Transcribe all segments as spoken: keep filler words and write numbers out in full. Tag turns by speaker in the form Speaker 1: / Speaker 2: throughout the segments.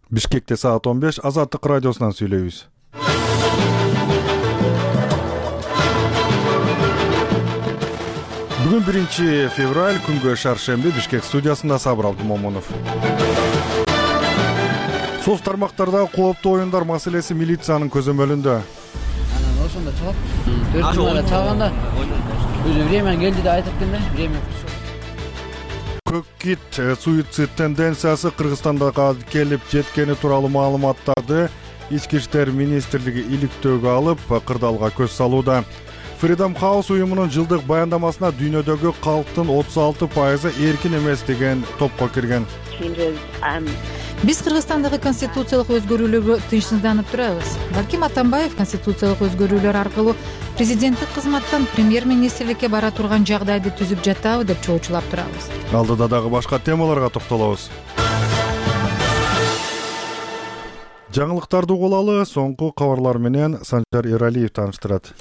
Speaker 1: Бишкекте саат он беш, Азаттык радиосунан сүйлөйбүз. Бүгүн биринчи февраль, күнгө шаршемби. Бишкек студиясында Сабыр Абдумомунов. Соц тармактарда кооптуу оюндар маселеси милициянын көзөмөлүндө.
Speaker 2: Анан ошондо чыгып, төрт жумада чыгганда өзү время келди деп айтыптын да, время.
Speaker 1: Көк кит суицид тенденциясы Кыргызстанда келип жеткени тууралуу маалыматтарды Ички иштер министрлиги иликтөөгө алып, кырдаалга көз салууда. Freedom House уюмунун жылдык баяндамасына дүйнөдөгү калктын отуз алты пайызы эркин эмес деген топко кирген.
Speaker 3: Биз Кыргызстандагы конституциялык өзгөрүүлөргө тынчсызданып турабыз. Балким Атамбаев конституциялык өзгөрүүлөр аркылуу президенттик кызматтан премьер-министрликке бара турган жагдайды түзүп жатабы деп чоочулап турабыз.
Speaker 1: Алдыда дагы башка темаларга токтолобуз. Жаңылыктарды угулалы, соңку кабарлар менен Санжар Эралиев тааныштырат.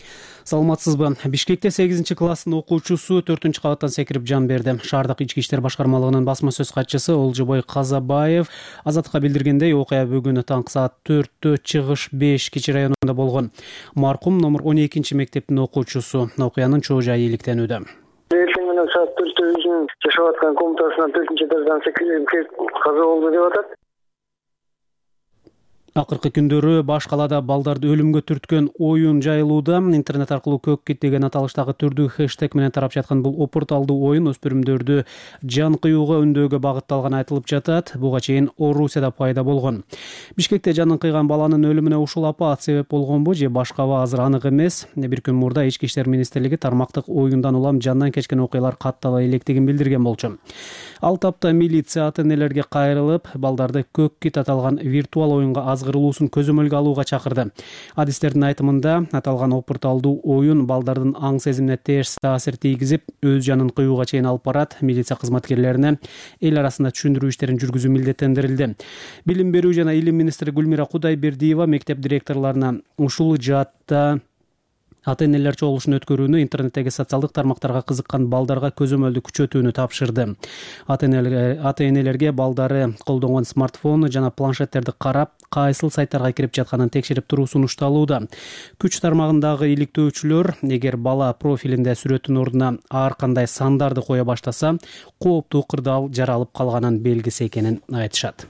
Speaker 4: Саламатсызбы? Бишкекте сегизинчи класстын окуучусу төртүнчү кабаттан секирип жан берди. Шаардык ички иштер башкармалыгынын басма сөз катчысы Олжобой Казабаев Азаттыкка билдиргендей, окуя бүгүн таңкы саат төрттө Чыгыш беш Кичи районунда болгон. Маркум номер он экинчи мектептин окуучусу. Окуянын чоо жайы иликтенүүдө.
Speaker 5: Эртең менен саат төрттө өзүнүн жашап аткан комнатасынан төртүнчү этаждан секирип каза болду деп атат.
Speaker 4: Акыркы күндөрү баш калаада балдарды өлүмгө түрткөн оюн жайылууда. Интернет аркылуу көк кит деген аталыштагы түрдүү хэштег менен тарап жаткан бул опурталдуу оюн өспүрүмдөрдү жан кыюуга үндөөгө багытталганы айтылып жатат. Буга чейин Орусияда пайда болгон. Бишкекте жанын кыйган баланын өлүмүнө ушул апаат себеп болгонбу же башкабы азыр анык эмес. Бир күн мурда Ички иштер министрлиги тармактык оюндан улам жандан кечкен окуялар каттала электигин билдирген болчу. Ал тапта милиция ата-энелерге кайрылып, балдарды көк кит аталган виртуал оюнга азгырылуусун көзөмөлгө алууга чакырды. Адистердин айтымында, аталган опурталдуу оюн балдардын аң сезимине терс таасир тийгизип, өз жанын кыюуга чейин алып барат. Милиция кызматкерлерине эл арасында түшүндүрүү иштерин жүргүзүү милдеттендирилди. Билим берүү жана илим министри Гүлмира Кудайбердиева мектеп директорлоруна ушул жаатта ата-энелер чогулушун өткөрүүнү, интернеттеги социалдык тармактарга кызыккан балдарга көзөмөлдү күчөтүүнү тапшырды. Ата-энелерге балдары колдонгон смартфон жана планшеттерди карап, кайсыл сайттарга кирип жатканын текшерип туруу сунушталууда. Күч тармагындагы иликтөөчүлөр эгер бала профилинде сүрөттүн ордуна ар кандай сандарды кое баштаса, кооптуу кырдаал жаралып калганын белгиси экенин айтышат.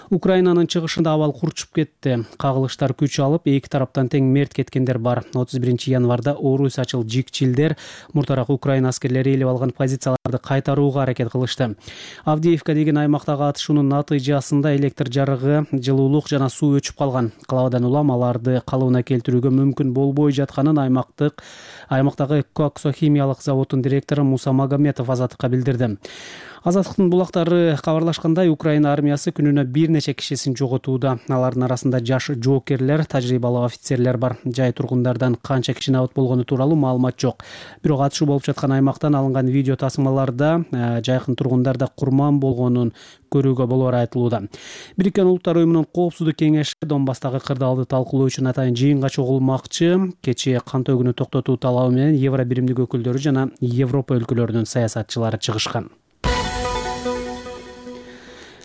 Speaker 4: Украинанын чыгышында абал курчуп кетти. Кагылыштар күч алып, эки тараптан тең мерт кеткендер бар. отуз биринчи январда орусячыл жикчилдер муртараак Украина аскерлери ээлеп алган позицияларды кайтарууга аракет кылышты. Авдеевка деген аймактагы атышуунун натыйжасында электр жарыгы, жылуулук жана суу өчүп калган. Калабадан улам аларды калыбына келтирүүгө мүмкүн болбой жатканын аймактык аймактагы Коксохимиялык заводдун директору Муса Магометов Азаттыкка билдирди. Азаттыктын булактары кабарлашкандай, Украина армиясы күнүнө бир нече кишисин жоготууда. Алардын арасында жаш жоокерлер, тажрыйбалуу офицерлер бар. Жай тургундардан канча киши абат болгону тууралуу маалымат жок. Бирок атышуу болуп жаткан аймактан алынган видео тасмаларда жайкын тургундарда курман болгонун көрүүгө болоору айтылууда. Бириккен Улуттар уюмунун коопсуздук кеңеши Донбасстагы кырдаалды талкуулоо үчүн атайын жыйынга чогулмакчы. Кечээ кан төгүүнү токтотуу талабы менен Евро биримдик өкүлдөрү жана Европа өлкөлөрүнүн саясатчылары чыгышкан.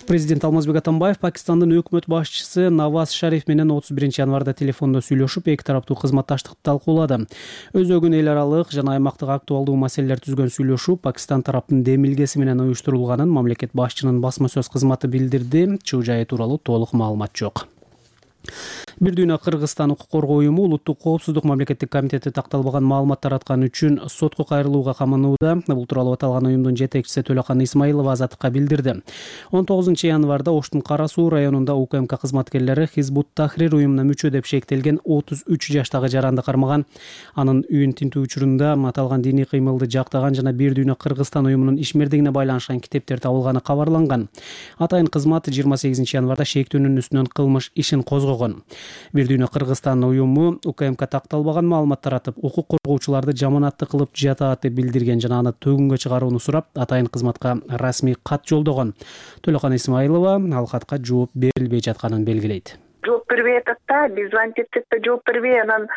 Speaker 4: Президент Алмазбек Атамбаев Пакистандын өкмөт башчысы Наваз Шариф менен отуз биринчи январда телефондо сүйлөшүп, эки тараптуу кызматташтыкты талкуулады. Өзөгүн эл аралык жана аймактык актуалдуу маселелер түзгөн сүйлөшүү Пакистан тараптын демилгеси менен уюштурулганын мамлекет башчынын басма сөз кызматы билдирди. Чуу жайы тууралуу толук маалымат жок. Бир дүйнө Кыргызстан укук коргоо уюму Улуттук коопсуздук мамлекеттик комитети такталбаган маалымат тараткан үчүн сотко кайрылууга каманууда. Бул тууралуу аталган уюмдун жетекчиси Төлөкан Исмаилова Азаттыкка билдирди. он тогузунчу январда Оштун Кара Суу районунда УКМК кызматкерлери Хизбут Тахрир уюмуна мүчө деп шектелген отуз үч жаштагы жаранды кармаган. Анын үйүн тинтүү учурунда аталган диний кыймылды жактаган жана Бир дүйнө Кыргызстан уюмунун ишмердигине байланышкан китептер табылганы кабарланган. Атайын кызмат жыйырма сегизинчи январда шектүүнүн үстүнөн кылмыш ишин козгогон. Бир дүйнө Кыргызстан уюму УКМК такталбаган маалымат таратып, укук коргоочуларды жаманатты кылып жатат деп билдирген жана аны төгүнгө чыгарууну сурап, атайын кызматка расмий кат жолдогон. Төлөкан Исмаилова ал катка жооп берилбей жатканын белгилейт.
Speaker 6: жооп бербей атат да, биз звонить этсек да жооп бербей, анан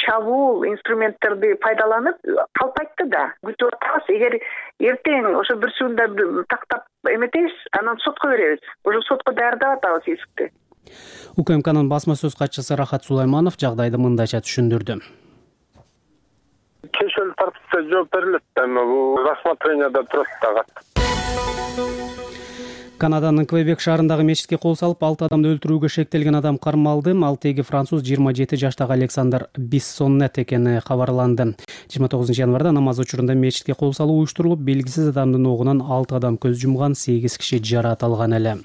Speaker 6: чабуул инструменттерди пайдаланып калпайтты да. Күтүп атабыз. Эгер эртең ошо бүрсүгүндө тактап эметебиз, анан сотко беребиз. Ошо сотко даярдап атабыз искти.
Speaker 4: УКМКнын басма сөз катчысы Рахат Сулайманов жагдайды мындайча түшүндүрдү.
Speaker 7: Чечүүл тартипте жооп берилет да, бул рассмотренияда турат дагы.
Speaker 4: Канаданын Квебек шаарындагы мечитке кол салып, алты адамды өлтүрүүгө шектелген адам кармалды. Ал теги француз жыйырма жети жаштагы Александр Биссоннет экени кабарланды. жыйырма тогузунчу январда намаз учурунда мечитке кол салуу уюштурулуп, белгисиз адамдын огунан алты адам көз жумган, сегиз киши жаракат алган эле.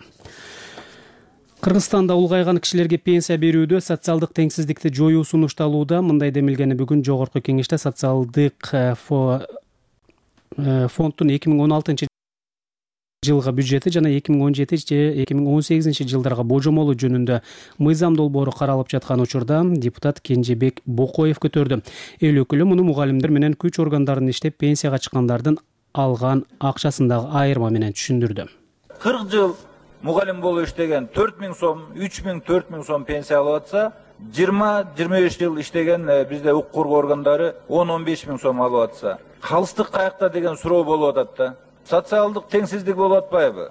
Speaker 4: Кыргызстанда улгайган кишилерге пенсия берүүдө социалдык теңсиздикти жоюу сунушталууда. Мындай демилгени бүгүн жогорку кеңеште социалдык фонддун эки миң он алтынчы жылга бюджети жана эки миң он жети же эки миң он сегизинчи жылдарга божомолу жөнүндө мыйзам долбоору каралып жаткан учурда депутат Кенжебек Бокоев көтөрдү. Эл өкүлү муну мугалимдер менен күч органдарынын иштеп пенсияга чыккандардын алган акчасындагы айырма менен түшүндүрдү.
Speaker 8: кырк жыл мугалим болуп иштеген төрт миң сом, үч миң, төрт миң сом пенсия алып атса, жыйырма жыйырма беш жыл иштеген бизде укук коргоо органдары он он беш миң сом алып атса, калыстык каякта деген суроо болуп атат да. Социалдык теңсиздик болуп атпайбы?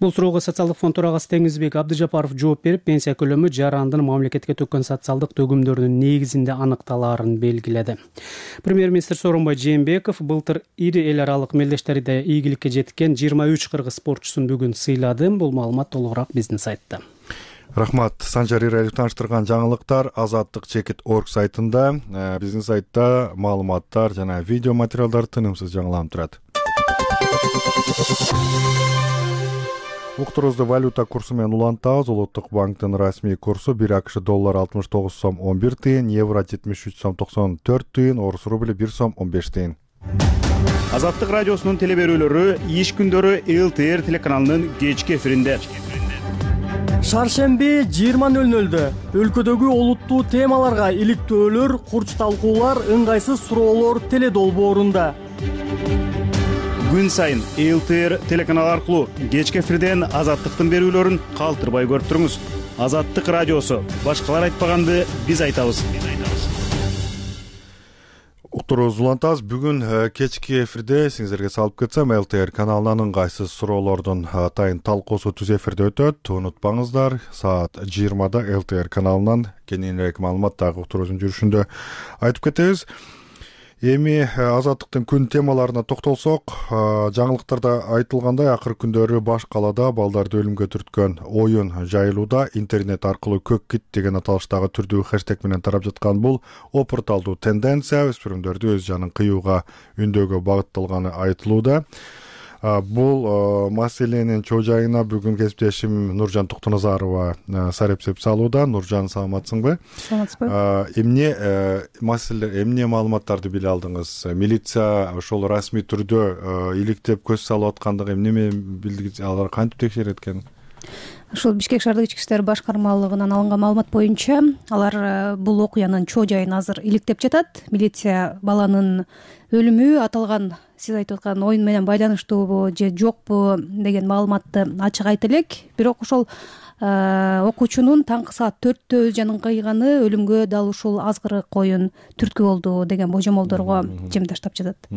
Speaker 4: Бул суроого социалдык фонд төрагасы Теңизбек Абдыжапаров жооп берип, пенсия көлөмү жарандын мамлекетке төккөн социалдык төгүмдөрүнүн негизинде аныкталаарын белгиледи. Премьер-министр Сооронбай Жээнбеков былтыр ири эл аралык мелдештерде ийгиликке жеткен жыйырма үч кыргыз спортчусун бүгүн сыйлады. Бул маалымат толугураак биздин сайтта.
Speaker 1: Рахмат. Санжар Иралиев таныштырган жаңылыктар азаттык чекит точка орг сайтында, биздин сайтта маалыматтар жана видео материалдар тынымсыз жаңыланып турат. Уктурубузду валюта курсу менен улантабыз. Улуттук банктын расмий курсу бир АКШ доллар алтымыш тогуз сом он бир тыйын, евро жетимиш үч сом токсон төрт тыйын, орус рубли бир сом он беш тыйын.
Speaker 9: Азаттык радиосунун теле берүүлөрү иш күндөрү эл тэ эр телеканалынын кечки эфиринде.
Speaker 10: Шаршемби жыйырма нөл нөлдө өлкөдөгү олуттуу темаларга иликтөөлөр, курч талкуулар, ыңгайсыз суроолор теле долбоорунда.
Speaker 9: Күн сайын эл тэ эр телеканалы аркылуу кечки эфирден азаттыктын берүүлөрүн калтырбай көрүп туруңуз. Азаттык радиосу. Башкалар айтпаганды биз айтабыз.
Speaker 1: Уктурубузду улантабыз. Бүгүн кечки эфирде сиңиздерге салып кетсем, эл тэ эр каналынын ыңгайсыз суроолордун атайын талкуусу түз эфирде өтөт. Унутпаңыздар, саат жыйырмада эл тэ эр каналынан кененирээк маалымат дагы уктурубуздун жүрүшүндө айтып кетебиз. Эми азаттыктын күн темаларына токтолсок, жаңылыктарда айтылгандай, акыркы күндөрү баш калаада балдарды өлүмгө түрткөн оюн жайылууда. Интернет аркылуу көк кит деген аталыштагы түрдүү хэштег менен тарап жаткан бул опурталдуу тенденция өспүрүмдөрдү өз жанын кыюуга үндөөгө багытталганы айтылууда. Бул маселенин чоо жайына бүгүн кесиптешим Нуржан Токтоназарова сарепсеп салууда. Нуржан, саламатсыңбы?
Speaker 11: Саламатсызбы.
Speaker 1: Эмне маселе, эмне маалыматтарды биле алдыңыз? Милиция ошол расмий түрдө иликтеп көз салып аткандыгы эмне билдиңиз? Алар кантип текшерет экен?
Speaker 11: Ушул Бишкек шаардык ички иштер башкармалыгынан алынган маалымат боюнча, алар бул окуянын чоо жайын азыр иликтеп жатат. Милиция баланын өлүмү аталган сиз айтып аткан оюн менен байланыштуубу же жокпу деген маалыматты ачык айта элек. Бирок ошол окуучунун таңкы саат төрттө өз жанын кыйганы өлүмгө дал ушул азгырык оюн түрткү болду деген божомолдорго жем таштап жатат.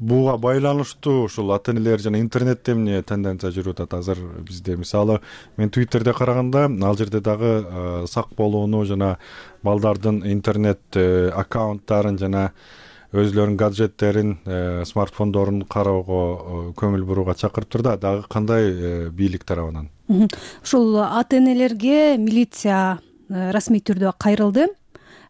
Speaker 1: Буга байланыштуу ушул ата энелер жана интернетте эмне тенденция жүрүп атат азыр бизде? Мисалы, мен Twitterде караганда, ал жерде дагы сак болууну жана балдардын интернет аккаунттарын жана өзлөрүнүн гаджеттерин, смартфондорун кароого көңүл бурууга чакырып турда. Дагы кандай бийлик тарабынан?
Speaker 11: Ушул ата энелерге милиция расмий түрдө кайрылды.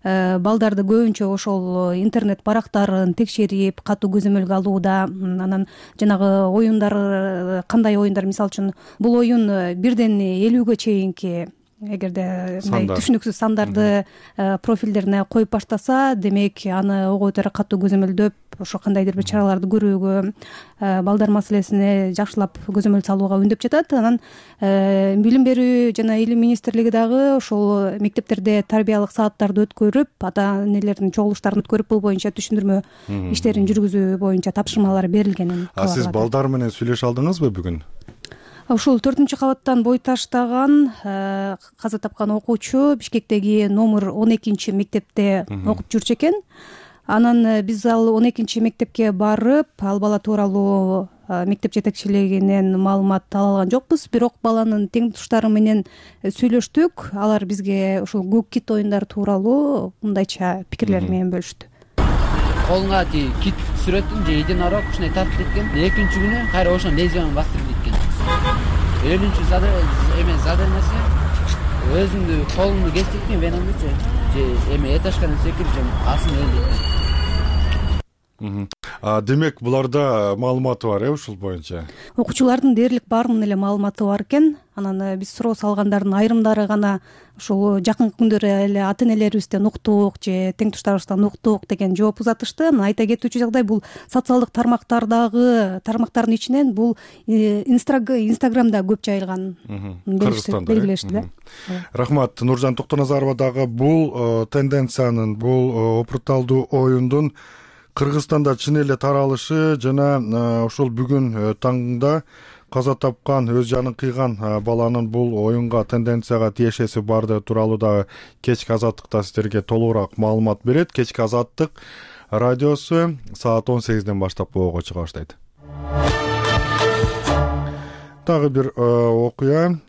Speaker 11: Балдарды көбүнчө ошол интернет барактарын текшерип, катуу көзөмөлгө алууда. Анан жанагы оюндар, кандай оюндар, мисалы үчүн бул оюн бирден элүүгө чейинки эгерде түшүнүксүз сандарды профилдерине коюп баштаса, демек аны ого бетер катуу көзөмөлдөп, ошо кандайдыр бир чараларды көрүүгө, балдар маселесине жакшылап көзөмөл салууга үндөп жатат. Анан билим берүү жана илим министрлиги дагы ошол мектептерде тарбиялык сааттарды өткөрүп, ата энелердин чогулуштарын өткөрүп, бул боюнча түшүндүрмө иштерин жүргүзүү боюнча тапшырмалар берилгенин.
Speaker 1: А сиз балдар менен сүйлөшө алдыңызбы бүгүн?
Speaker 11: ушул төртүнчү кабаттан бой таштаган каза тапкан окуучу Бишкектеги номер он экинчи мектепте окуп жүрчү экен. Анан биз ал он экинчи мектепке барып, ал бала тууралуу мектеп жетекчилигинен маалымат ала алган жокпуз. Бирок баланын тең туштары менен сүйлөштүк. Алар бизге ушул көк кит оюндары тууралуу мындайча пикирлери менен бөлүштү.
Speaker 2: Колунга ти кит сүрөтүн же единорог ушундай тартып кеткен. Экинчи күнү кайра ошон лезвияны бастырып кеткен. Өлүнчү эме задырмасы өзүңдү колуңду кестиктин венаңдычы же эме этажкадан секирип же асын өлдүрдү.
Speaker 1: Демек буларда маалыматы бар э ушул боюнча?
Speaker 11: Окуучулардын дээрлик баарынын эле маалыматы бар экен. Анан биз суроо салгандардын айрымдары гана ушул жакынкы күндөрү эле ата-энелерибизден уктук же тең туштарыбыздан уктук деген жооп узатышты. Анан айта кетүүчү жагдай, бул социалдык тармактардагы тармактардын ичинен бул Инстаграмда көп жайылган белгилешти да.
Speaker 1: Рахмат. Нуржан Токтоназарова дагы бул тенденциянын, бул опурталдуу оюндун Кыргызстанда чын эле таралышы жана ушул бүгүн таңда каза тапкан, өз жанын кыйган баланын бул оюнга, тенденцияга тиешеси барды тууралуу дагы кечки азаттыкта сиздерге толугураак маалымат берет. Кечки азаттык радиосу саат он сегизден баштап боого чыга баштайт. Дагы бир окуя.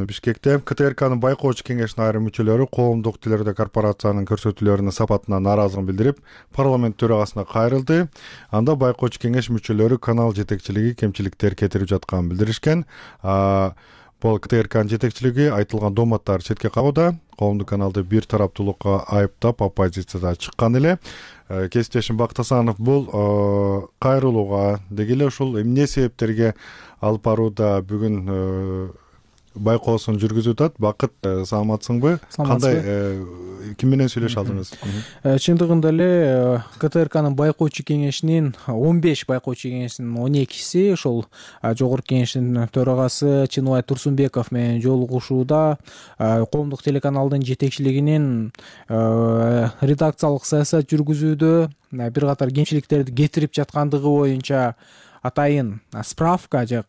Speaker 1: Бишкекте КТРКнын байкоочу кеңешинин айрым мүчөлөрү коомдук телерадио корпорациянын көрсөтүүлөрүнүн сапатына нааразылыгын билдирип, парламент төрагасына кайрылды. Анда байкоочу кеңеш мүчөлөрү канал жетекчилиги кемчиликтер кетирип жатканын билдиришкен. Бул КТРКнын жетекчилиги айтылган дооматтарды четке кагууда. Коомдук каналды бир тараптуулукка айыптап, оппозицияда чыккан эле. Кесиптешим Бактасанов бул кайрылууга деги эле ушул эмне себептерге алып барууда бүгүн байкоосун жүргүзүп атат. Бакыт, саламатсыңбы? Кандай, ким менен сүйлөшө алдыңыз?
Speaker 12: Чындыгында эле КТРКнын байкоочу кеңешинин он беш байкоочу кеңешинин он экиси ошол жогорку кеңештин төрагасы Чыныбай Турсунбеков менен жолугушууда коомдук телеканалдын жетекчилигинин редакциялык саясат жүргүзүүдө бир катар кемчиликтерди кетирип жаткандыгы боюнча атайын справка же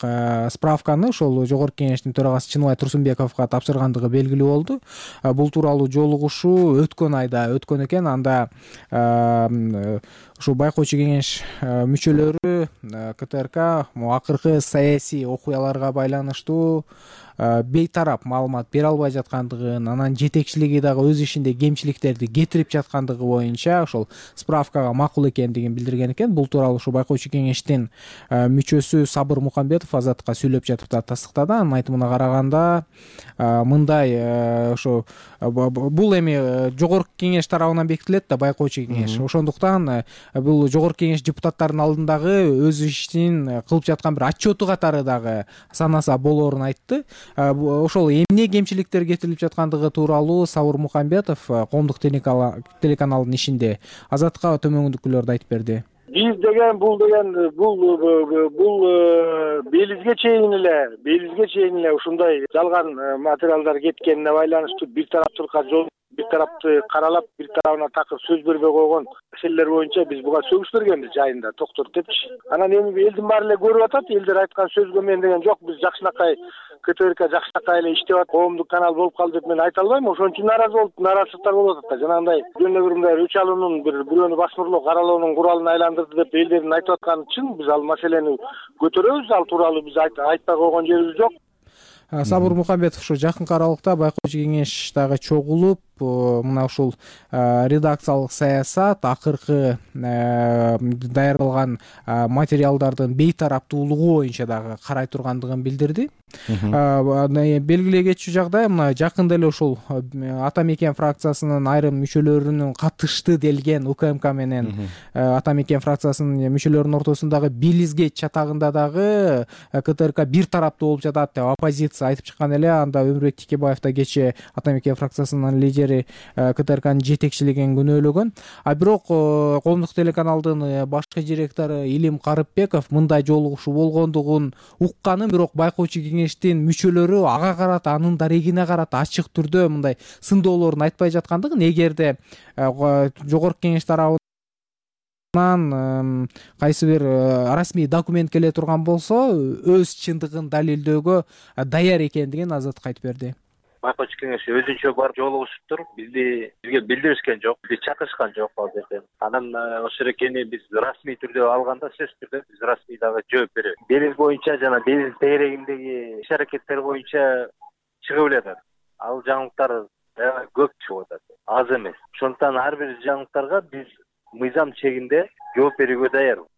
Speaker 12: справканы ошол жогорку кеңештин төрагасы Чыныбай Турсунбековго тапшыргандыгы белгилүү болду. Бул тууралуу жолугушуу өткөн айда өткөн экен. Анда ушул байкоочу кеңеш мүчөлөрү КТРК акыркы саясий окуяларга байланыштуу бейтарап маалымат бере албай жаткандыгын, анан жетекчилиги дагы өз ишинде кемчиликтерди кетирип жаткандыгы боюнча ошол справкага макул экендигин билдирген экен. Бул тууралуу ушул байкоочу кеңештин мүчөсү Сабыр Мукамбетов Азатка сүйлөп жатып да тастыктады. Анын айтымына караганда мындай ошо бул эми жогорку кеңеш тарабынан бекитилет да, байкоочу кеңеш. Ошондуктан бул жогорку кеңеш депутаттарынын алдындагы өз ишин кылып жаткан бир отчету катары дагы санаса болоорун айтты. Ошол эмне кемчиликтер кетирилип жаткандыгы тууралуу Сабыр Мукамбетов коомдук телеканалдын ишинде Азатка төмөндүкүлөрдү айтып берди.
Speaker 5: Биз деген бул деген бул бул белизге чейин эле белизге чейин эле ушундай жалган материалдар кеткенине байланыштуу бир тараптуулукка жол бир тарапты каралап, бир тарабына такыр сөз бербей койгон маселелер боюнча биз буга сөгүш бергенбиз жайында токтор депчи. Анан эми элдин баары эле көрүп атат, элдер айткан сөзгө мен деген жок, биз жакшынакай КТРК жакшынакай эле иштеп атат, коомдук канал болуп калды деп мен айта албайм. Ошон үчүн нааразы болуп, нааразычылыктар болуп атат да. Жанагындай жөн эле бир мындай өч алуунун бир бирөөнү басмырлоо каралоонун куралын айландырды деп элдердин айтып атканы чын. Биз ал маселени көтөрөбүз, ал тууралуу биз айтпай койгон жерибиз жок.
Speaker 12: Сабыр Мукамбетов ушу жакынкы аралыкта байкоочу кеңеш дагы чогулуп, мына ушул редакциялык саясат, акыркы даярдалган материалдардын бейтараптуулугу боюнча дагы карай тургандыгын билдирди. Белгилей кетчү жагдай, мына жакында эле ушул Ата Мекен фракциясынын айрым мүчөлөрүнүн катышты делген УКМК менен Ата Мекен фракциясынын мүчөлөрүнүн ортосундагы белизге чатагында дагы КТРК бир тараптуу болуп жатат деп оппозиция айтып чыккан эле. Анда Өмүрбек Тикебаев да кечээ Ата Мекен фракциясынын лидери КТРКнын жетекчилигин күнөөлөгөн. А бирок коомдук телеканалдын башкы директору Илим Карыпбеков мындай жолугушуу болгондугун укканын, бирок байкоочу кеңештин мүчөлөрү ага карата, анын дарегине карата ачык түрдө мындай сындоолорун айтпай жаткандыгын, эгерде жогорку кеңеш тарабы анан кайсы бир расмий документ келе турган болсо өз чындыгын далилдөөгө даяр экендигин Азаттыкка айтып берди.
Speaker 13: Байкоочу кеңеш өзүнчө барып жолугушуптур. Бизди бизге билдиришкен жок, бизди чакырышкан жок ал жерден. Анан ошол экени биз расмий түрдө алганда сөзсүз түрдө биз расмий дагы жооп беребиз. Делил боюнча жана делил тегерегиндеги иш аракеттер боюнча чыгып эле. Ал жаңылыктар көп чыгып атат, аз эмес. Ошондуктан ар бир жаңылыктарга биз мыйзам чегинде жооп берүүгө даярбыз.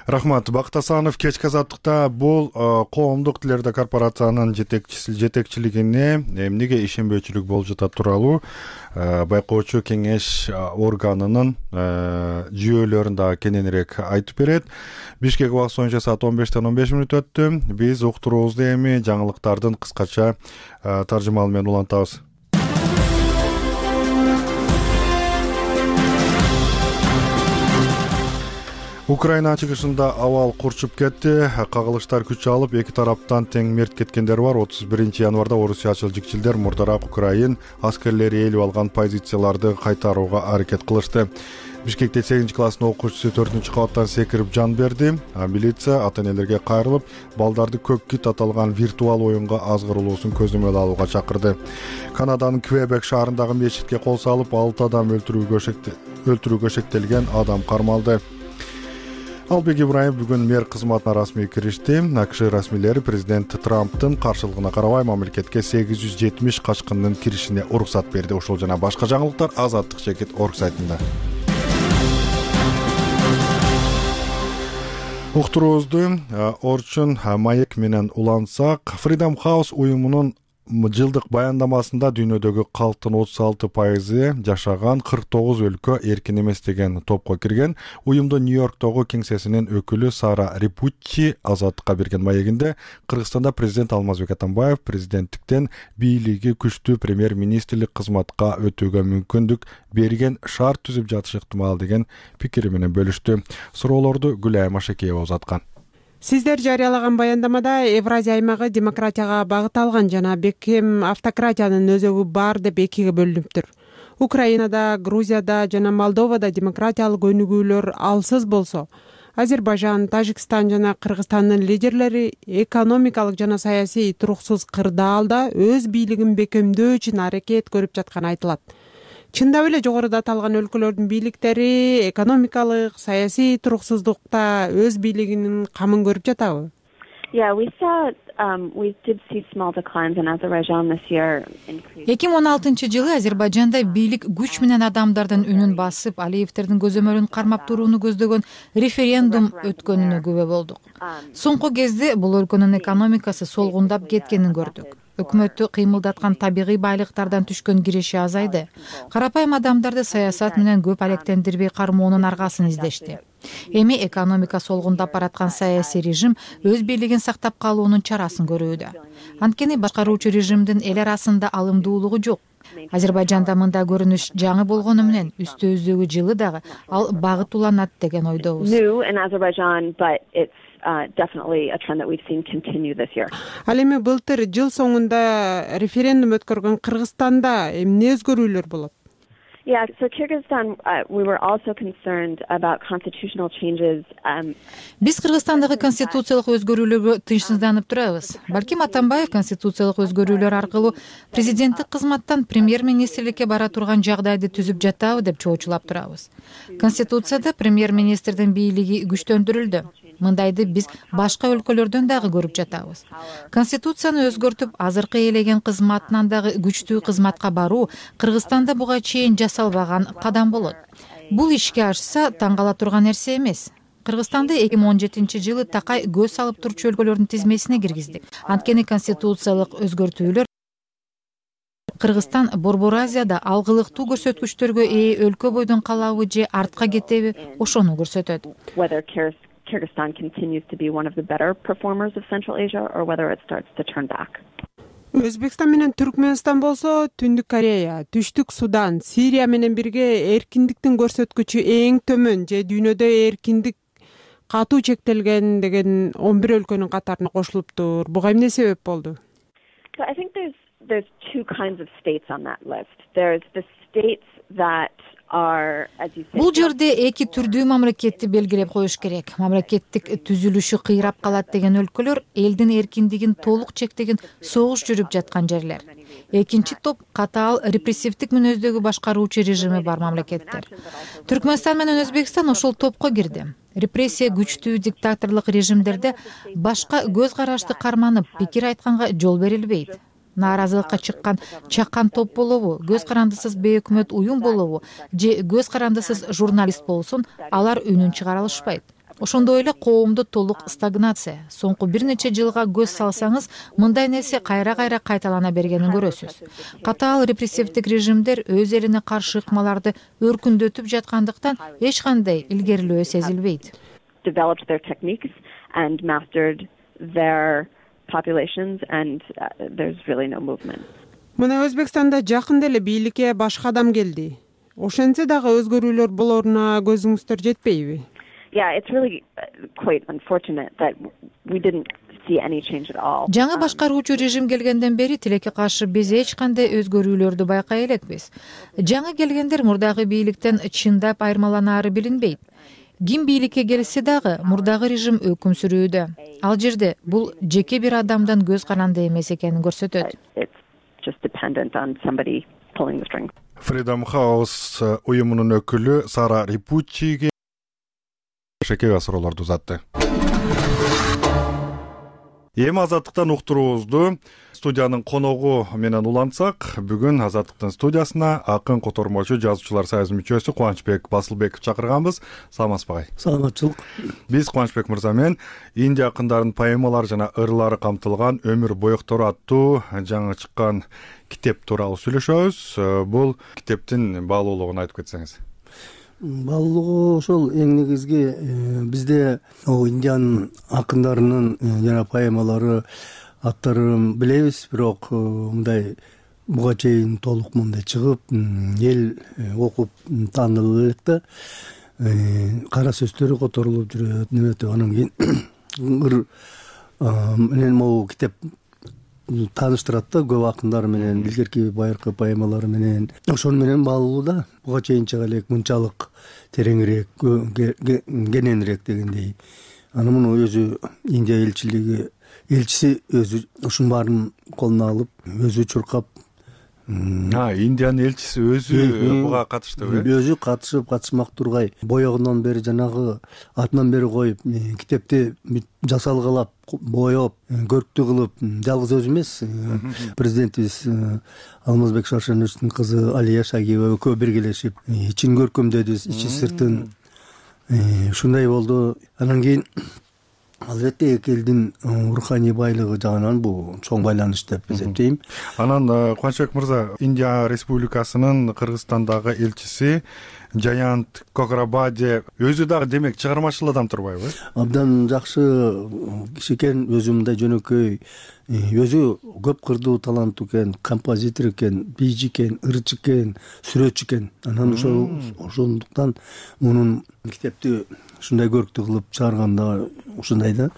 Speaker 1: Рахмат. Бакыт Асанов кечки азаттыкта бул коомдук тилерде корпорациянын жетекчилигине эмнеге ишенбөөчүлүк болуп жатат тууралуу байкоочу кеңеш органынын жүйөлөрүн дагы кененирээк айтып берет. Бишкек убакыты боюнча саат он бештен он беш мүнөт өттү. Биз уктуруубузду эми жаңылыктардын кыскача таржымалы менен улантабыз. Украина чыгышында абал курчуп кетти. Кагылыштар күч алып, эки тараптан тең мерт кеткендер бар. отуз биринчи январда орусиячыл жикчилдер мурдараак Украин аскерлери ээлеп алган позицияларды кайтарууга аракет кылышты. Бишкекте сегизинчи класстын окуучусу төртүнчү кабаттан секирип жан берди. Милиция ата-энелерге кайрылып, балдарды көк кит аталган виртуал оюнга азгырылуусун көзөмөл алууга чакырды. Канаданын Квебек шаарындагы мечитке кол салып, алты адам өлтүрүүгө шектелген адам кармалды. Албек Ибраим бүгүн мэр кызматына расмий киришти. АКШ расмийлери президент Трамптын каршылыгына карабай мамлекетке сегиз жүз жетимиш качкындын киришине уруксат берди. Ошол жана башка жаңылыктар азаттык чекит орг сайтында. Уктуруубузду Орчун маек менен улантсак, Freedom House уюмунун жылдык баяндамасында дүйнөдөгү калктын отуз алты пайызы жашаган кырк тогуз өлкө эркин эмес деген топко кирген. Уюмдун Нью-Йорктогу кеңсесинин өкүлү Сара Рипуччи Азаттыкка берген маегинде Кыргызстанда президент Алмазбек Атамбаев президенттиктен бийлиги күчтүү премьер-министрлик кызматка өтүүгө мүмкүндүк берген шарт түзүп жатышы ыктымал деген пикири менен бөлүштү. Суроолорду Гүлай Машекеева узаткан.
Speaker 14: Сиздер жарыялаган баяндамада Евразия аймагы демократияга багыт алган жана бекем автократиянын өзөгү бар деп экиге бөлүнүптүр. Украинада, Грузияда жана Молдовада демократиялык өнүгүүлөр алсыз болсо, Азербайжан, Тажикстан жана Кыргызстандын лидерлери экономикалык жана саясий туруксуз кырдаалда өз бийлигин бекемдөө үчүн аракет көрүп жатканы айтылат. Чындап эле жогоруда аталган өлкөлөрдүн бийликтери экономикалык, саясий туруксуздукта өз бийлигинин камын көрүп жатабы?
Speaker 15: Yeah, we saw um we did see small declines in Azerbaijan this year.
Speaker 3: эки миң он алтынчы жылы Азербайжанда бийлик күч менен адамдардын үнүн басып, Алиевтердин көзөмөлүн кармап турууну көздөгөн референдум өткөнүнө күбө болдук. Соңку кезде бул өлкөнүн экономикасы солгундап кеткенин көрдүк. Өкмөттү кыймылдаткан табигый байлыктардан түшкөн киреше азайды. Карапайым адамдарды саясат менен көп алектендирбей кармоонун аргасын издешти. Эми экономика солгундап бараткан саясий режим өз бийлигин сактап калуунун чарасын көрүүдө. Анткени башкаруучу режимдин эл арасында алымдуулугу жок. Азербайжанда мындай көрүнүш жаңы болгону менен үстүбүздөгү жылы дагы ал багыт уланат деген ойдобуз.
Speaker 15: Uh, definitely a trend that we've seen continue this year.
Speaker 14: Ал эми былтыр жыл соңунда референдум өткөргөн Кыргызстанда эмне өзгөрүүлөр болот?
Speaker 15: Yeah, so Kyrgyzstan, uh, we were also concerned about constitutional changes. Um,
Speaker 3: Биз Кыргызстандагы конституциялык өзгөрүүлөргө тынчсызданып турабыз. Балким Атамбаев конституциялык өзгөрүүлөр аркылуу президенттик кызматтан премьер-министрликке бара турган жагдайды түзүп жатабы деп чоочулап турабыз. Конституцияда премьер-министрдин бийлиги күчтөндүрүлдү. Мындайды биз башка өлкөлөрдөн дагы көрүп жатабыз. Конституцияны өзгөртүп, азыркы ээлеген кызматынан дагы күчтүү кызматка баруу Кыргызстанда буга чейин жасалбаган кадам болот. Бул ишке ашса таң кала турган нерсе эмес. Кыргызстанды эки миң он жетинчи жылы такай көз салып турчу өлкөлөрдүн тизмесине киргиздик. Анткени конституциялык өзгөртүүлөр Кыргызстан Борбор Азияда алгылыктуу көрсөткүчтөргө ээ өлкө бойдон калабы же артка кетеби, ошону көрсөтөт.
Speaker 15: Kyrgyzstan continues to be one of the better performers of Central Asia or whether it starts to turn back.
Speaker 14: Өзбекстан менен Түркмөнстан болсо Түндүк Корея, Түштүк Судан, Сирия менен бирге эркиндиктин көрсөткүчү эң төмөн же дүйнөдө эркиндик катуу чектелген деген он бир өлкөнүн катарына кошулуптур. Буга эмне себеп болду?
Speaker 15: So I think there's there's two kinds of states on that list. There's the states that
Speaker 3: бул жерде эки түрдүү мамлекетти белгилеп коюш керек. Мамлекеттик түзүлүшү кыйрап калат деген өлкөлөр элдин эркиндигин толук чектеген согуш жүрүп жаткан жерлер. Экинчи топ катаал репрессивдик мүнөздөгү башкаруучу режими бар мамлекеттер. Түркмөнстан менен Өзбекстан ошол топко кирди. Репрессия күчтүү диктаторлук режимдерде башка көз карашты карманып, пикир айтканга жол берилбейт. Нааразылыкка чыккан чакан топ болобу, көз карандысыз бейөкмөт уюм болобу же көз карандысыз журналист болсун, алар үнүн чыгара алышпайт. Ошондой эле коомдо толук стагнация. Соңку бир нече жылга көз салсаңыз, мындай нерсе кайра-кайра кайталана бергенин көрөсүз. Катаал репрессивдик режимдер өз элине каршы ыкмаларды өркүндөтүп жаткандыктан эч кандай илгерилөө сезилбейт.
Speaker 15: Developed their techniques and mastered their populations and uh, there's really no movement.
Speaker 14: Мына Өзбекстанда жакында эле бийликке башка адам келди. Ошентсе дагы өзгөрүүлөр болоруна көзүңүздөр жетпейби?
Speaker 15: Yeah, it's really quite unfortunate that we didn't see any change at all.
Speaker 3: Жаңы башкаруучу режим келгенден бери тилекке каршы биз эч кандай өзгөрүүлөрдү байкай элекпиз. Жаңы келгендер мурдагы бийликтен чындап айырмаланаары билинбейт. Ким бийликке келсе дагы мурдагы режим өкүм сүрүүдө. Ал жерде бул жеке бир адамдан көз каранды эмес экенин көрсөтөт.
Speaker 1: Freedom House уюмунун өкүлү Сара Рипуччиге шекега суроолорду узатты. Эми азаттыктан уктуруубузду студиянын коногу менен улантсак, бүгүн азаттыктын студиясына акын котормочу жазуучулар союзунун мүчөсү Кубанычбек Басылбеков чакырганбыз. Саламатсызбы агай?
Speaker 16: Саламатчылык.
Speaker 1: Биз Кубанычбек мырза менен Индия акындарын поэмалары жана ырлары камтылган Өмүр боектору аттуу жаңы чыккан китеп тууралуу сүйлөшөбүз. Бул китептин баалуулугун айтып кетсеңиз.
Speaker 16: Баалуулугу ошол эң негизги бизде Индиянын акындарынын жана поэмалары аттарын билебиз, бирок мындай буга чейин толук мындай чыгып, эл окуп таанылып элек да. Кара сөздөрү которулуп жүрөт, неметип анан кийин ыр менен могу китеп тааныштырат да көп акындар менен, илгерки байыркы поэмалары менен. Ошону менен баалуу да. Буга чейин чыга элек мынчалык тереңирээк, кененирээк дегендей. Анан муну өзү Индия элчилиги элчиси өзү ушунун баарын колуна алып, өзү чуркап.
Speaker 1: А, Индиянын элчиси өзү буга катыштыбы?
Speaker 16: Өзү катышып, катышмак тургай, боегунан бери жанагы атынан бери коюп, китепти жасалгалап, боеп, көрктүү кылып, жалгыз өзү эмес, президентибиз Алмазбек Шаршеновичтин кызы Алия Шагиева экөө биргелешип, ичин көркөмдөдү, ичи сыртын. Ушундай болду. Анан кийин албетте эки элдин руханий байлыгы жагынан бул чоң байланыш деп эсептейм.
Speaker 1: Анан Кубанычбек мырза, Индия Республикасынын Кыргызстандагы элчиси Жаянт Кокрабаде өзү дагы демек чыгармачыл адам турбайбы?
Speaker 16: Абдан жакшы киши экен, өзү мындай жөнөкөй, өзү көп кырдуу таланттуу экен, композитор экен, бийчи экен, ырчы экен, сүрөтчү экен. Анан ошол ошондуктан мунун китепти ушундай көрктүү кылып чыгарганда ушундай да.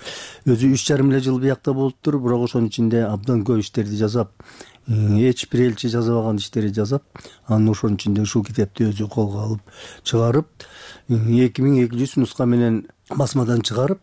Speaker 16: Өзү үч жарым эле жыл биякта болуптур, бирок ошонун ичинде абдан көп иштерди жасап, эч бир элчи жазабаган иштерди жасап, анын ошонун ичинде ушул китепти өзү колго алып чыгарып, эки миң эки жүз нуска менен басмадан чыгарып,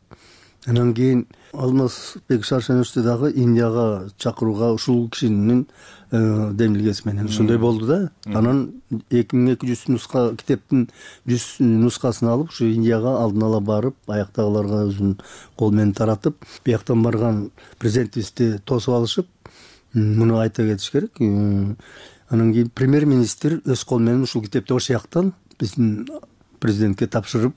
Speaker 16: анан кийин Алмазбек Шаршеновичти дагы Индияга чакырууга ушул кишинин демилгеси менен ушундай болду да. Анан эки миң эки жүз нуска китептин жүз нускасын алып, ушу Индияга алдын ала барып, аяктагыларга өзүнүн кол менен таратып, бияктан барган президентибизди тосуп алышып, муну айта кетиш керек. Анан кийин премьер-министр өз кол менен ушул китепти ошол жактан биздин президентке тапшырып,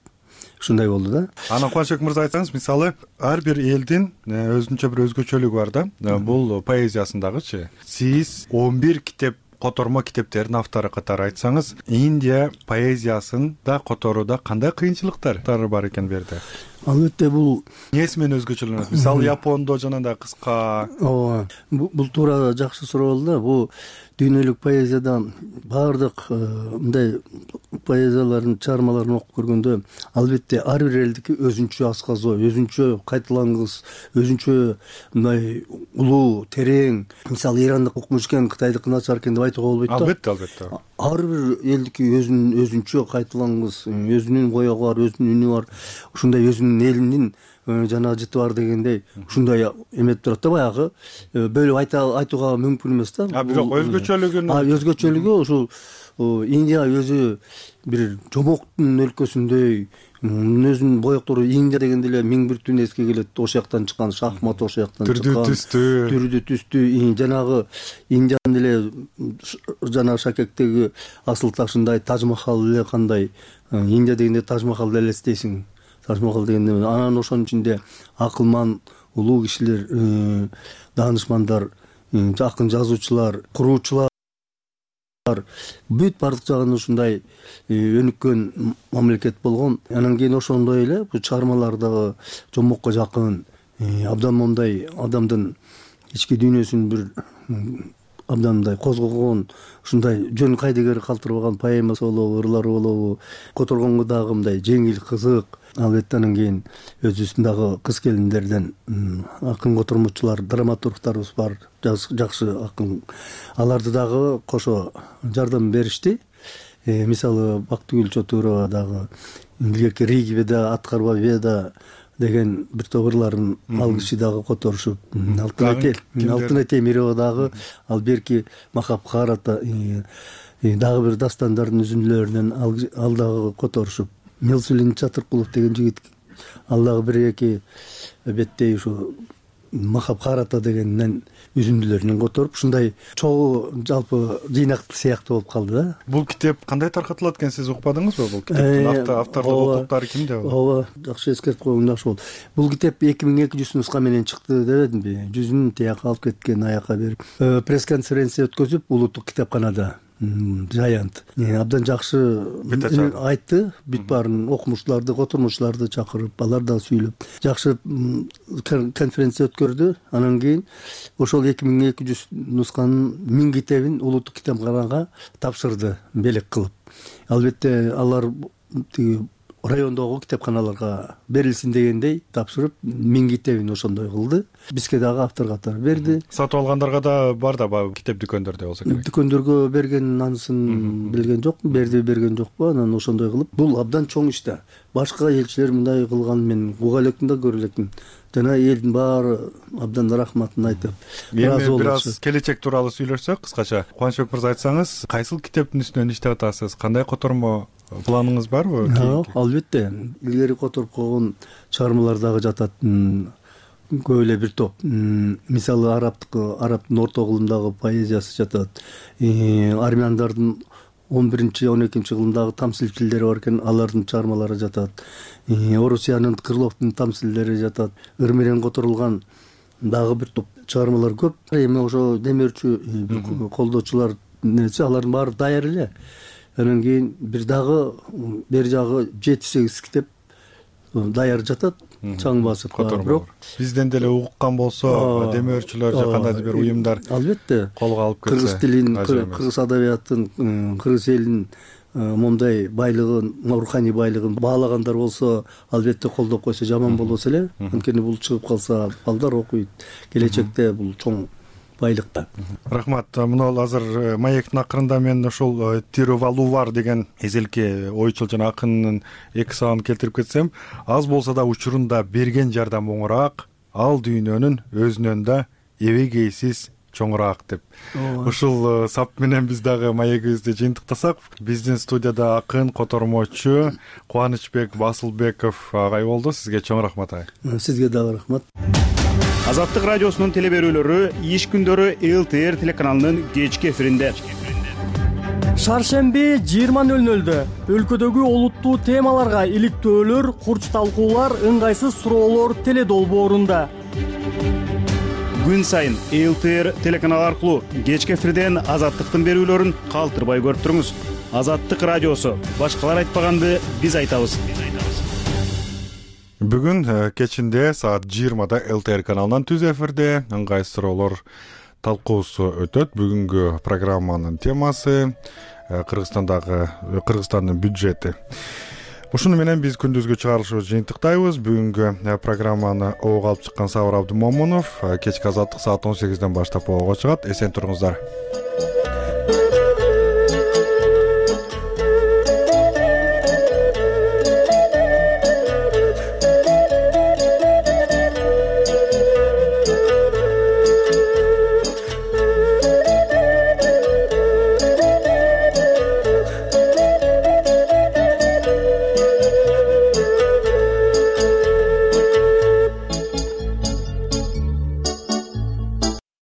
Speaker 16: ушундай болду да.
Speaker 1: Анан Кубанычбек мырза айтсаңыз, мисалы, ар бир элдин өзүнчө бир өзгөчөлүгү бар да. Бул поэзиясындагычы. Сиз он бир китеп, котормо китептердин автору катары айтсаңыз, Индия поэзиясында которууда кандай кыйынчылыктар бар экен бу жерде?
Speaker 16: албетте бул
Speaker 1: эмнеси менен өзгөчөлөнөт? Мисалы Япондо жанагындай кыска.
Speaker 16: ооба, бул туура жакшы суроо болду да. Бул дүйнөлүк поэзияда баардык мындай поэзиялардын чыгармаларын окуп көргөндө албетте ар бир элдики өзүнчө асказоо, өзүнчө кайталангыс, өзүнчө мындай улуу, терең. Мисалы ирандык укмуш экен, кытайдыкы начар экен деп айтууга болбойт да.
Speaker 1: Албетте, албетте.
Speaker 16: Ар бир элдики өзүнүн өзүнчө кайталангыс, өзүнүн боёгу бар, өзүнүн үнү бар. Ушундай өзүнүн элинин жана жыты бар дегендей ушундай эметип турат да. Баягы бөлүп айта айтууга мүмкүн эмес да.
Speaker 1: А бирок өзгөчөлүгүн
Speaker 16: а өзгөчөлүгү ушул Индия өзү бир жомоктун өлкөсүндөй, өзүнүн боектору Индия дегенде эле миң бир түн эске келет. Ошол жактан чыккан шахмат, ошол жактан чыккан
Speaker 1: түрдүү түстүү
Speaker 16: түрдүү түстүү жанагы Индиянын эле жана Шакектеги асыл ташындай Таж-Махал эле кандай. Индия дегенде Таж-Махалды элестейсиң. Таж-Махал дегенде анан ошонун ичинде акылман улуу кишилер, даанышмандар, акын жазуучулар, куруучулар бүт бардык жагынан ушундай өнүккөн мамлекет болгон. Анан кийин ошондой эле бул чыгармалар дагы жомокко жакын, абдан мондай адамдын ички дүйнөсүн бир абдан мындай козгогон, ушундай жөн кайдыгер калтырбаган поэмасы болобу, ырлары болобу, которгонго дагы мындай жеңил, кызык. Албетте анан кийин өзүбүздүн дагы кыз келиндерден акын котормочулар, драматургтарыбыз бар, жакшы акын. Аларды дагы кошо жардам беришти. Мисалы Бактыгүл Чотурова дагы илгерки Риги Веда, Аткарба Веда деген бир топ ырларын ал киши дагы которушуп, Алтынай Темирова дагы, ал берки Махабхарата дагы бир дастандардын үзүндүлөрүнөн ал дагы которушуп, Мелсулин Чатыркулов деген жигит ал дагы бир эки беттей ушу Махабхарата дегенден үзүндүлөрүнөн которуп, ушундай чогуу жалпы жыйнак сыяктуу болуп калды да.
Speaker 1: Бул китеп кандай таркатылат экен, сиз укпадыңызбы? Бул китептин автордук укуктары кимде?
Speaker 16: Ооба, жакшы эскертип койгон жакшы болду. Бул китеп эки миң эки жүз нуска менен чыкты дебедимби? Жүзүн тияка алып кеткен, аяка берип. Пресс-конференция өткөзүп, улуттук китепканада Жаянт абдан жакшы айтты. Бүт баарын окумуштууларды, котормочуларды чакырып, алар да сүйлөп жакшы конференция өткөрдү. Анан кийин ошол эки миң эки жүз нусканын миң китебин улуттук китепканага тапшырды, белек кылып. Албетте алар райондогу китепканаларга берилсин дегендей тапшырып, миң китебин ошондой кылды. Бизге дагы автор катары берди.
Speaker 1: Сатып алгандарга да бар да китеп дүкөндөрдө болсо керек.
Speaker 16: Дүкөндөргө берген анысын билген жокмун, берди берген жокпу. Анан ошондой кылып, бул абдан чоң иш да. Башка элчилер мындай кылган мен уга элекмин да, көрө элекмин. Жана элдин баары абдан рахматын айтып,
Speaker 1: ыраазы болуп. Бир аз келечек тууралуу сүйлөшсөк, кыскача. Кубанычбек мырза, айтсаңыз, кайсыл китептин үстүнөн иштеп атасыз? Кандай котормо планыңыз барбы?
Speaker 16: Албетте, илгери которуп койгон чыгармалар дагы жатат. Көп эле бир топ. Мисалы арабтык, арабтын орто кылымдагы поэзиясы жатат. Армяндардын он биринчи он экинчи кылымдагы тамсилчилери бар экен, алардын чыгармалары жатат. Орусиянын Крыловдун тамсилдери жатат. Ыр менен которулган дагы бир топ чыгармалар көп. Эми ошо демөөрчү колдоочулар нече, алардын баары даяр эле. Анан кийин бир дагы бери жагы жети сегиз китеп даяр жатат. Чаң басып
Speaker 1: бирок бизден деле уккан болсо, демөөрчүлөр же кандайдыр бир уюмдар
Speaker 16: албетте
Speaker 1: колго алып келсе,
Speaker 16: кыргыз тилин, кыргыз адабиятын, кыргыз элинин момундай байлыгын, руханий байлыгын баалагандар болсо, албетте колдоп койсо жаман болбос эле. Анткени бул чыгып калса, балдар окуйт. Келечекте бул чоң байлыкта.
Speaker 1: Рахмат. Мына азыр маектин акырында мен ошол Тирувалувар деген эзелки ойчул жана акындын эки сабагын келтирип кетсем, аз болсо да учурунда берген жардам оңураак, ал дүйнөнүн өзүнөн да эбегейсиз чоңураак деп. Ушул сап менен биз дагы маегибизди жыйынтыктасак, биздин студияда акын, котормочу Кубанычбек Басылбеков агай болду. Сизге чоң рахмат агай.
Speaker 16: Сизге дагы рахмат.
Speaker 9: Азаттык радиосунун телеберүүлөрү иш күндөрү эл тэ эр телеканалынын кечки эфиринде.
Speaker 10: Шаршемби жыйырма нөл нөлдө өлкөдөгү олуттуу темаларга иликтөөлөр, курч талкуулар, ыңгайсыз суроолор теле долбоорунда.
Speaker 9: Күн сайын эл тэ эр телеканалы аркылуу кечки эфирден азаттыктын берүүлөрүн калтырбай көрүп туруңуз. Азаттык радиосу. Башкалар айтпаганды биз айтабыз.
Speaker 1: Бүгүн кечинде саат жыйырмада ЛТР каналынан түз эфирде ыңгай суроолор талкуусу өтөт. Бүгүнкү программанын темасы Кыргызстандагы Кыргызстандын бюджети. Ушуну менен биз күндүзгү чыгарылышыбызды жыйынтыктайбыз. Бүгүнкү программаны ого алып чыккан Сабыр Абдымомунов. Кечки азаттык саат он сегизден баштап ого чыгат. Эсен туруңуздар.